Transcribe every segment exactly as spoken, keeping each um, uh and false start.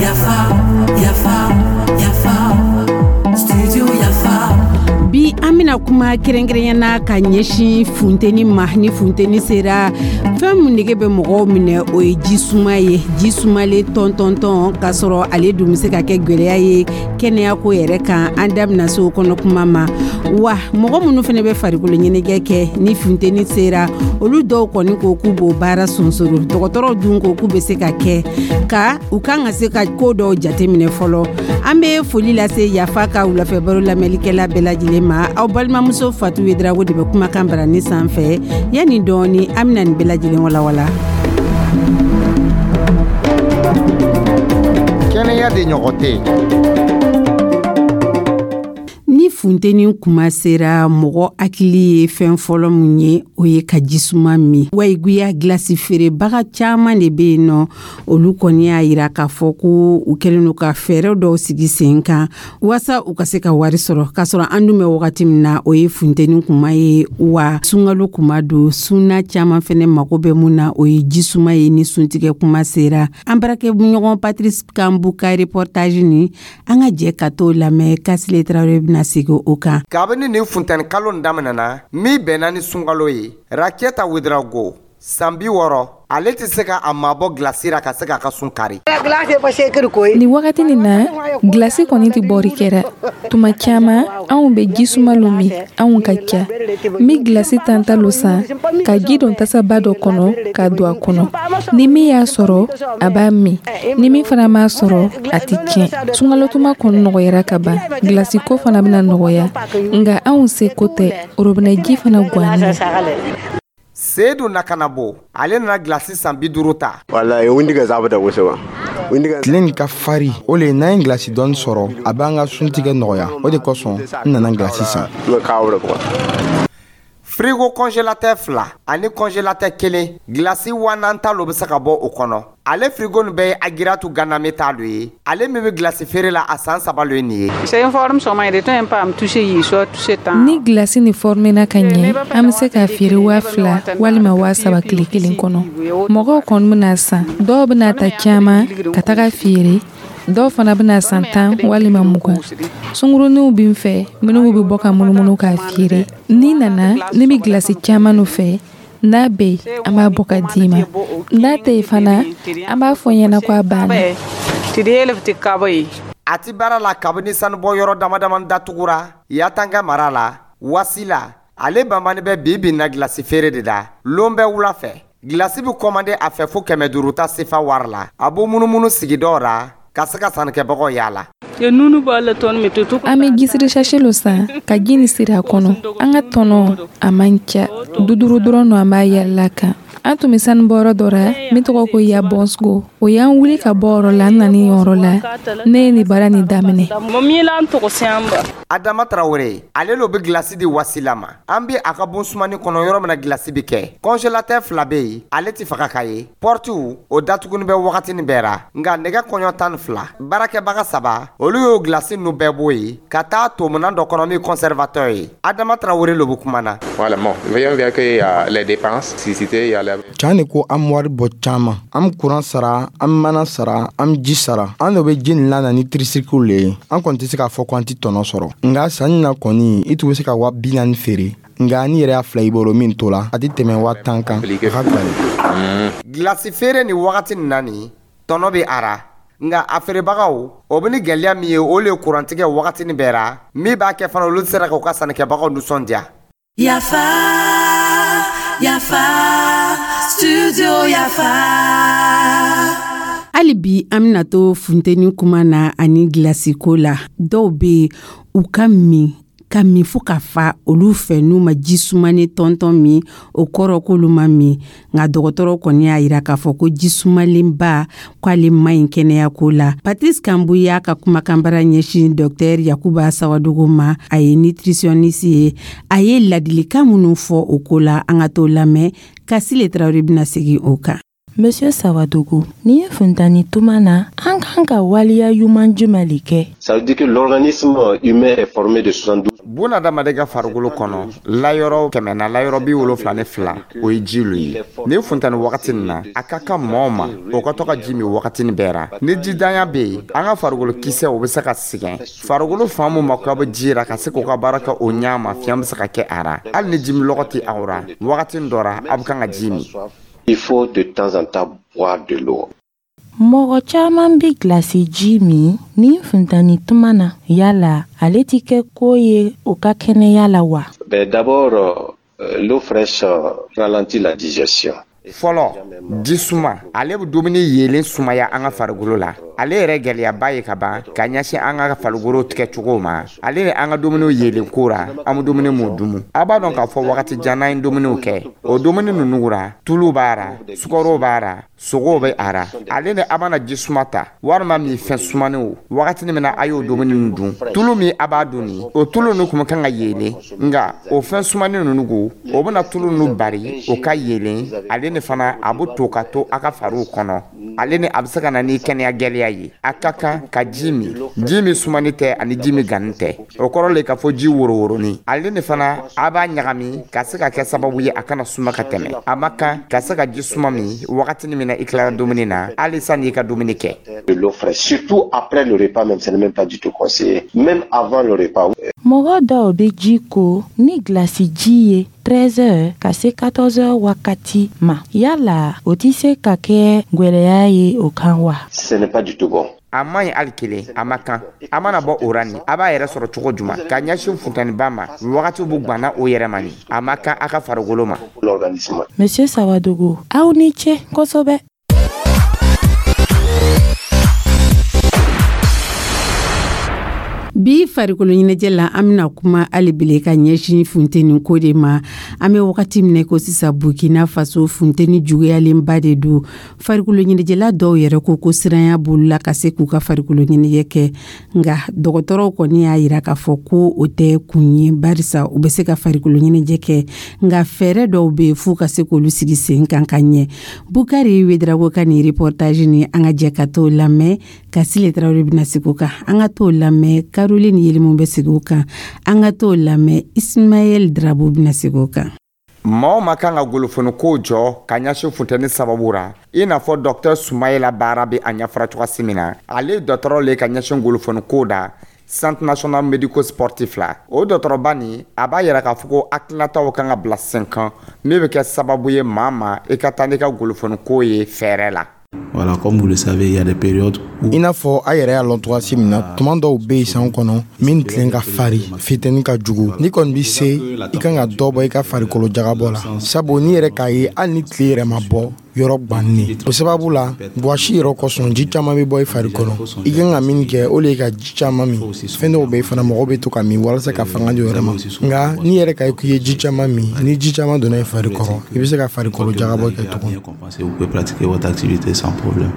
Yafa, yafa, yafa, studio Yafa. Bi, an bena kuma kɛrɛnkɛrɛnya na ka ɲɛsin funteni ma. Ni funteni sera, fɛn min nege bɛ mɔgɔw minɛ, o ye ji suma ye, ji sumalen tɔntɔntɔn, k'a sɔrɔ ale dun bɛ se ka kɛ gwɛlɛya ye kɛnɛyako yɛrɛ kan. An da bɛna se o kɔnɔ kuma ma. Wa mɔgɔ minnu fana bɛ farikolo ɲɛnajɛ kɛ, ni funteni sera, olu dɔw kɔni ko k'u b'o baara sonsoro. Dɔgɔtɔrɔw dun ko k'u bɛ se ka kɛ, ka u kan ka se ka ko dɔw jateminɛ fɔlɔ. An bɛ foli lase Yafa ka wulafɛ baro lamɛnlikɛla bɛɛ lajɛlen ma. Aw balimamuso Fatu Wedrago de bɛ kumakan barani sanfɛ. Yanni dɔɔni, an bɛna nin bɛɛ lajɛlen walawala. Kɛnɛya de ɲɔgɔn tɛ. Ni funteni kuma sera, mɔgɔ hakili ye fɛn fɔlɔ mun ye? O ye ka jisuma min. Wayiguya gilasi feerebaga caaman de be yen nɔ. Olu kɔni y'a yira k'a fɔ ko u kɛlen don ka fɛɛrɛ dɔw sigi sen kan waasa u ka se ka wari sɔrɔ, k'a sɔrɔ an dun bɛ wagati min na, o ye funteni kuma ye, wa sunkalo kuma don. Sunna caaman fɛnɛ mago bɛ mun na, o ye jisuma ye ni suntigɛ kuma sera. An baarakɛɲɔgɔn Patrice Kambu ka reportage ni an ka jɛ ka t'o lamɛn. Kasile Tarawele bɛna segin o kan. Kabini nin funteni kalo in daminɛna, min bɛnna ni sunkalo ye, Raketa Wedrago, san bi wɔɔrɔ, ale tɛ se ka a mabɔ gilasi ra ka se k'a ka sun kari. Nin wagati nin na, gilasi kɔni tɛ bɔri kɛra. Tuma caman, anw bɛ jisuma lo min. Anw ka ca. N bɛ gilasi tanta lo san ka ji don tasaba dɔ kɔnɔ ka don a kɔnɔ. Ni min y'a sɔrɔ, a b'a min. Ni min fana m'a sɔrɔ, a tɛ tiɲɛ. Sunkalotuma kɔni nɔgɔyara ka ban, gilasi ko fana bɛna nɔgɔya, nka anw seko tɛ. Orobinɛ ji fana gannen. Sedu Nakanabo, ale nana gilasi san bi duuru ta. Tile nin ka fari, o le n'an ye gilasi dɔɔni sɔrɔ, a b'an ka suntigɛ nɔgɔya. O de kosɔn n nana gilasi san. Frigo congélateur fila ani congélateur kelen, gilasi waa naani ta lo bɛ se ka bɔ o kɔnɔ. Ale frigo nin bɛɛ ye Agiratu Ganame ta lo ye, ale min bɛ gilasi feere la a san saba lo ye nin ye. Ni gilasi ni fɔrmena ka ɲɛ, an bɛ se k'a feere waa fila walima waa saba tile kelen kɔnɔ. Mɔgɔw kɔni bɛna san. Dɔw bɛna ta caman ka taga feere, dɔw fana bɛna san tan walima mugan. Sunguruninw bɛ n fɛ minnu bɛ bɔ ka munumunu k'a feere. N'i nana, ne bɛ gilasi caman fɛ. N'a bɛ yen, an b'a bɔ ka d'i ma. N'a tɛ yen fana, an b'a fɔ ɲɛna ko a banna. A ti baara la kabini sanubɔ yɔrɔ dama dama datugura Yatanga mara la. Wasila, ale banbani bɛ bi bi na gilasi feere de la lon bɛɛ wula fɛ. Gilasi bɛ kɔmande a fɛ fo kɛmɛ duuru ta sefa wari la. A b'o munumunu sigidaw ra ka se ka sannikɛbagaw yaala. An bɛ jisiri sachet lo san ka ji nin siri a kɔnɔ. An ka tɔnɔ, a man ca. Du duuru dɔrɔn no an b'a yɛlɛla kan. An tun bɛ sanubɔyɔrɔ dɔ ra min tɔgɔ ko Yabɔnsgo. O y'an wuli ka bɔ yɔrɔ la, an nana yen yɔrɔ la. Ne ye nin baara nin daminɛ. Adama Tarawele, ale lo bɛ gilasi di Wasila ma. An bɛ a ka bon sumani kɔnɔ, yɔrɔ min na gilasi bɛ kɛ. Congélateur fila bɛ yen, ale tɛ faga ka ye. Pɔritiw o datuguni bɛ wagatinin bɛɛ ra, nka nɛgɛ kɔɲɔ tan ni fila, baarakɛbaga saba, olu y'o gilasi ninnu bɛɛ bɔ yen ka taa tominan dɔ kɔnɔ min conservateur ye. Adama Tarawele lo bɛ kuma na. Can de ko an wari bɔ caaman. An be kuran sara, an mana sara, an ji sara. An do be ji nin lana ni tricycle le ye. An kɔni tɛ se k'a fɔ ko an tɛ tɔnɔ sɔrɔ, nka sanni na kɔni, i tun be se ka wa bi naani feere, nka ni yɛrɛ y'a fila i bolo, min to la, a tɛ tɛmɛ wa tan kan. A ka gwɛlɛn. Gilasi feere nin wagati nin na, nin tɔnɔ bɛ a ra, nka a feerebagaw o bɛ ni gɛlɛya min ye, o le ye kurantigɛ wagatinin bɛɛ ra, min b'a kɛ fana olu sera k'u ka sannikɛbagaw nisɔndiya. Yafa, Yafa, Studio Yafa. Hali bi, an bena to funteni kuma na ani gilasiko la. Dɔw be yen, u ka min ka min fo ka fa, olu fɛ n'u ma ji sumani tɔntɔn min, o kɔrɔ k'olu ma min. Nka dɔgɔtɔrɔ kɔni y'a yira k'a fɔ ko ji sumalenba, k'ale man ɲi kɛnɛyako la. Patrice Kambu y'a ka kumakanbara ɲɛsin Dɔktɛr Yakuba Sawadogo ma. A ye nutritionniste ye. A ye ladilikan minnu fɔ o ko la, an ka t'o lamɛn. Kasile Tarawele bɛna segin o kan. Monsieur Sawadogo, ni ye funtani tuma na, an kan ka waleya ɲuman jumɛn le kɛ? Ça veut dire que l'organisme humain est formé de soixante-douze. Bunadamaden ka farikolo kɔnɔ, layɔrɔ kɛmɛ na, layɔrɔ bi wolonfila ni fila, o ye ji lu ye. Ni funtani wagati nin na, a ka kan mɔɔ ma o ka to ka ji min wagatinin bɛɛ ra. Ni jidanya bɛ yen, an ka farikolo kisɛ, o bɛ se ka sɛgɛn. Farikolo fan mun ma k'a bɛ ji ra ka se k'o ka baara kɛ o ɲa ma, fiɲɛ bɛ se ka kɛ a ra. Hali ni jimilɔgɔ tɛ aw ra, wagatinin dɔ ra, a bɛ kan ka ji min. Il faut de temps en temps boire de l'eau. Mɔgɔ caman bɛ gilasi ji min ni funtani tuma na, yala ale ti kɛ ko ye o ka kɛnɛya la wa? Ben, d'abord, euh, l'eau fraîche euh, ralentit la digestion. Fɔlɔ, ji suma, ale bɛ dumuni yeelen sumaya an ka farikolo la. Ale yɛrɛ gɛlɛyaba ye ka ban ka ɲɛsin an ka farikolo tigɛcogo ma, ale ni an ka dumuniw yeelen ko ra. An bɛ dumuni mun dumu, a b'a dɔn k'a fɔ wagati jan n'an ye dumuniw kɛ, o dumuni ninnu ra, tulu b'a ra, sukaro b'a ra, sogow bɛ a ra. Ale ni a mana ji suma ta walima min fɛn sumaninw, wagatinin min na a y'o dumuni ninnu dun, tulu min a b'a dun nin, o tulu ninnu kun kan ka yeelen, nka o fɛn sumanin ninnu ko, o bɛna tulu ninnu bari o ka yeelen. Ale ni fana a bɛ to ka to a ka fariw kɔnɔ. Ale ni a bɛ se ka na ni kɛnɛya gɛlɛya ye. A ka kan ka ji min, ji min sumani tɛ ani ji min ganni tɛ, o kɔrɔ le k'a fɔ ji woroworonin. Ale ni fana a b'a ɲagami ka se ka kɛ sababu ye a kana suma ka tɛmɛ. A ma kan ka se ka ji suma min wagatinin min na i tilara dumuni na, hali sanni i ka dumuni kɛ. De l'eau fraîche, surtout après le repas même, ce n'est même pas du tout conseillé. Même avant le repas. Mɔgɔ dɔw bɛ ji ko ni gilasi ji ye treize heures ka se quatorze heures wagati ma, yala o tɛ se ka kɛ gwɛlɛya ye o kan wa? Ce n'est pas du tout bon. A man ɲi hali kelen, a ma kan. A mana bɔ o ra nin, a b'a yɛrɛ sɔrɔ cogo juman ka ɲɛsin funteniba ma, wagatiw bɛ gwanna o yɛrɛ ma nin, a ma kan a ka farikolo ma. L'organisme. Monsieur Sawadogo, aw ni ce kosɛbɛ. Bi farikolo ɲɛnajɛ la, an bɛna kuma hali bile ka ɲɛsin funteni ko de ma. An bɛ wagati min ko sisan, Burkina Faso funteni juguyalenba de don. Farikolo ɲɛnajɛla dɔw yɛrɛ ko ko siranya b'olu la ka se k'u ka farikolo ɲɛnajɛ kɛ, nka dɔgɔtɔrɔw kɔni y'a yira k'a fɔ ko o tɛ kun ye, barisa u bɛ se ka farikolo ɲɛnajɛ kɛ, nka fɛɛrɛ dɔw bɛ yen f'u ka se k'olu sigi sen kan ka ɲɛ. Bukari Wedrago ka nin reportage ni an ka jɛ ka t'o lamɛn. Kasile Tarawele bɛna sigi o kan, an ka t'o lamɛn. Caroline Yelimu bɛ sigi o kan, an ka t'o lamɛn. Ismaël Drabo bɛna sigi o kan. Maaw ma kan ka golofoniko jɔ ka ɲɛsin funteni sababu ra, i n'a fɔ Docteur Sumayila baara bɛ a ɲɛfɔra cogoya min na. Ale ye dɔgɔtɔrɔ le ka ɲɛsin golofoniko da Centre national médico sportif la. O dɔgɔtɔrɔba nin, a b'a yira k'a fɔ ko hakilinataw kan ka bila sen kan min bɛ kɛ sababu ye maa ma i ka taa n'i ka golofoniko ye fɛɛrɛ la. Voilà, comme vous le savez, il y a des périodes où I n'a fɔ a yɛrɛ y'a lɔn cogoya min na, tuma dɔw bɛ yen san kɔnɔ min tilen ka fari, fitɛni ka jugu. N'i kɔni bɛ se, i kan ka dɔ bɔ i ka farikolo jagabɔ la, sabu n'i yɛrɛ k'a ye, hali ni tile yɛrɛ ma bɔ, yɔrɔ gwannen o sababu la, wɔsi yɛrɛ kosɔn, ji caman bɛ bɔ i fari kɔnɔ. I kan ka min kɛ, o de ye ka ji caman min. Fɛn dɔw bɛ yen fana, mɔgɔw bɛ to ka min walasa ka fanga di o yɛrɛ ma, nka n'i yɛrɛ ka ye k'i ye ji caman min, ni ji caman donna i fari kɔrɔ, i bɛ se ka farikolo jagabɔ kɛ tugun. Vous pouvez pratiquer votre activité sans problème.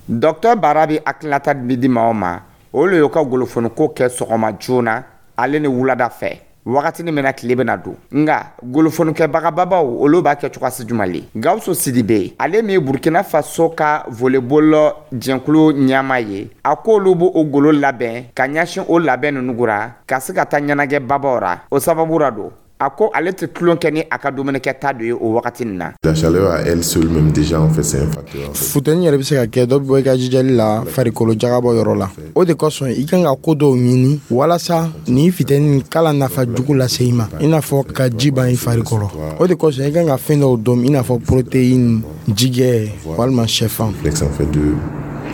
Docteur Bara bɛ hakilinata min di maaw ma, o le y'o ka golofoniko kɛ sɔgɔma joona ale ni wulada fɛ, wagatinin min na tile bɛna don. Nka golofonikɛbagababaw, olu b'a kɛ cogoya jumɛn le? Gawusu Sidibe, ale min ye Burkina Faso ka volleyball jɛnkulu ɲɛmaa ye, a k'olu b'o golo labɛn ka ɲɛsin o labɛn ninnu ra ka se ka taa ɲɛnajɛ babaw ra. O sababu ra don, a ko ale tɛ tulon kɛ ni a ka dumunikɛta dɔ ye o wagati nin na. La chaleur à elle seule même déjà en fait c'est un facteur. Funteni yɛrɛ bɛ se ka kɛ dɔ bɛ bɔ i ka jijali la farikolo jagabɔ yɔrɔ la. O de kosɔn i kan ka ko dɔw ɲini walasa nin funteni kala nafa jugu lase i ma, i n'a fɔ ka ji ban i fari kɔrɔ. O de kosɔn i kan ka fɛn dɔw dɔn, i n'a fɔ protéine, jigɛ walima sɛfan. En fait de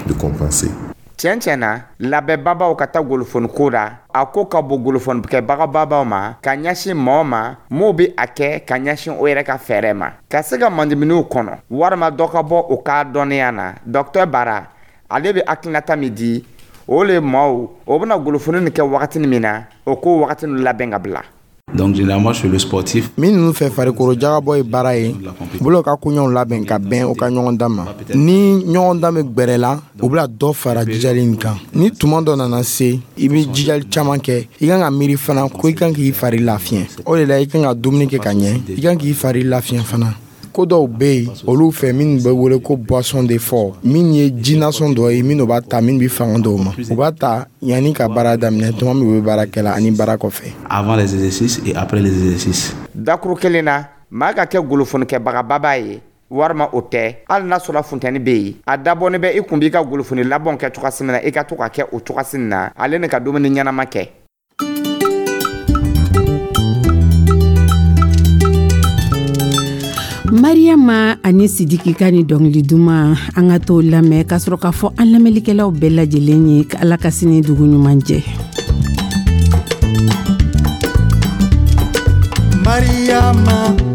de compenser. Tiɲɛ tiɲɛ na, labɛnbabaw ka taa golofoniko la, a ko ka bon golofonikɛbagababaw ma ka ɲɛsin mɔgɔ ma m'o bɛ a kɛ ka ɲɛsin o yɛrɛ ka fɛɛrɛ ma ka se ka mandiminiw kɔnɔ walima dɔ ka bɔ o ka dɔnniya na. Docteur Bara, ale bɛ hakilinata min di, o le maaw o bɛna golofoni nin kɛ wagatinin min na, o k'o wagati ninnu labɛn ka bila. Donc généralement chez le sportif, Minnu fɛ farikolo jagabɔ ye baara ye, u bolo ka koɲɛw labɛn ka bɛn u ka ɲɔgɔn dan ma. Ni ɲɔgɔn dan bɛ gbɛrɛ la, u bɛna dɔ fara jijali nin kan. Ni tuma dɔ nana se, i bɛ jijali caman kɛ, i kan ka miiri fana ko i kan k'i fari lafiɲɛ. O de la i kan ka dumuni kɛ ka ɲɛ, i kan k'i fari lafiɲɛ fana. Ko dɔw bɛ yen olu fɛ minnu bɛ wele ko boisson d'effort, min ye jinasɔn dɔ ye minnu b'a ta, min bɛ fanga dɔw ma. U b'a ta yanni ka baara daminɛ, tuma min u bɛ baara kɛ la, ani baara kɔfɛ. Avant les exercices et après les exercices. Dakuru kelen na, maa ka kɛ golofonikɛbagababa ye walima o tɛ, hali n'a sɔrɔ funtɛni bɛ yen, a dabɔnin bɛ i kun b'i ka golofoni labɔn kɛ cogoya min na, i ka to ka kɛ o cogoya na, ale ni ka dumuni ɲɛnama kɛ. Mariyama ani Sidiki ka ni dɔnkili duman, an ka t'o lamɛn ka sɔrɔ k'a fɔ an lamɛnlikɛlaw bɛɛ lajɛlen ye Ala ka sini dugu ɲuman jɛ. Mariyama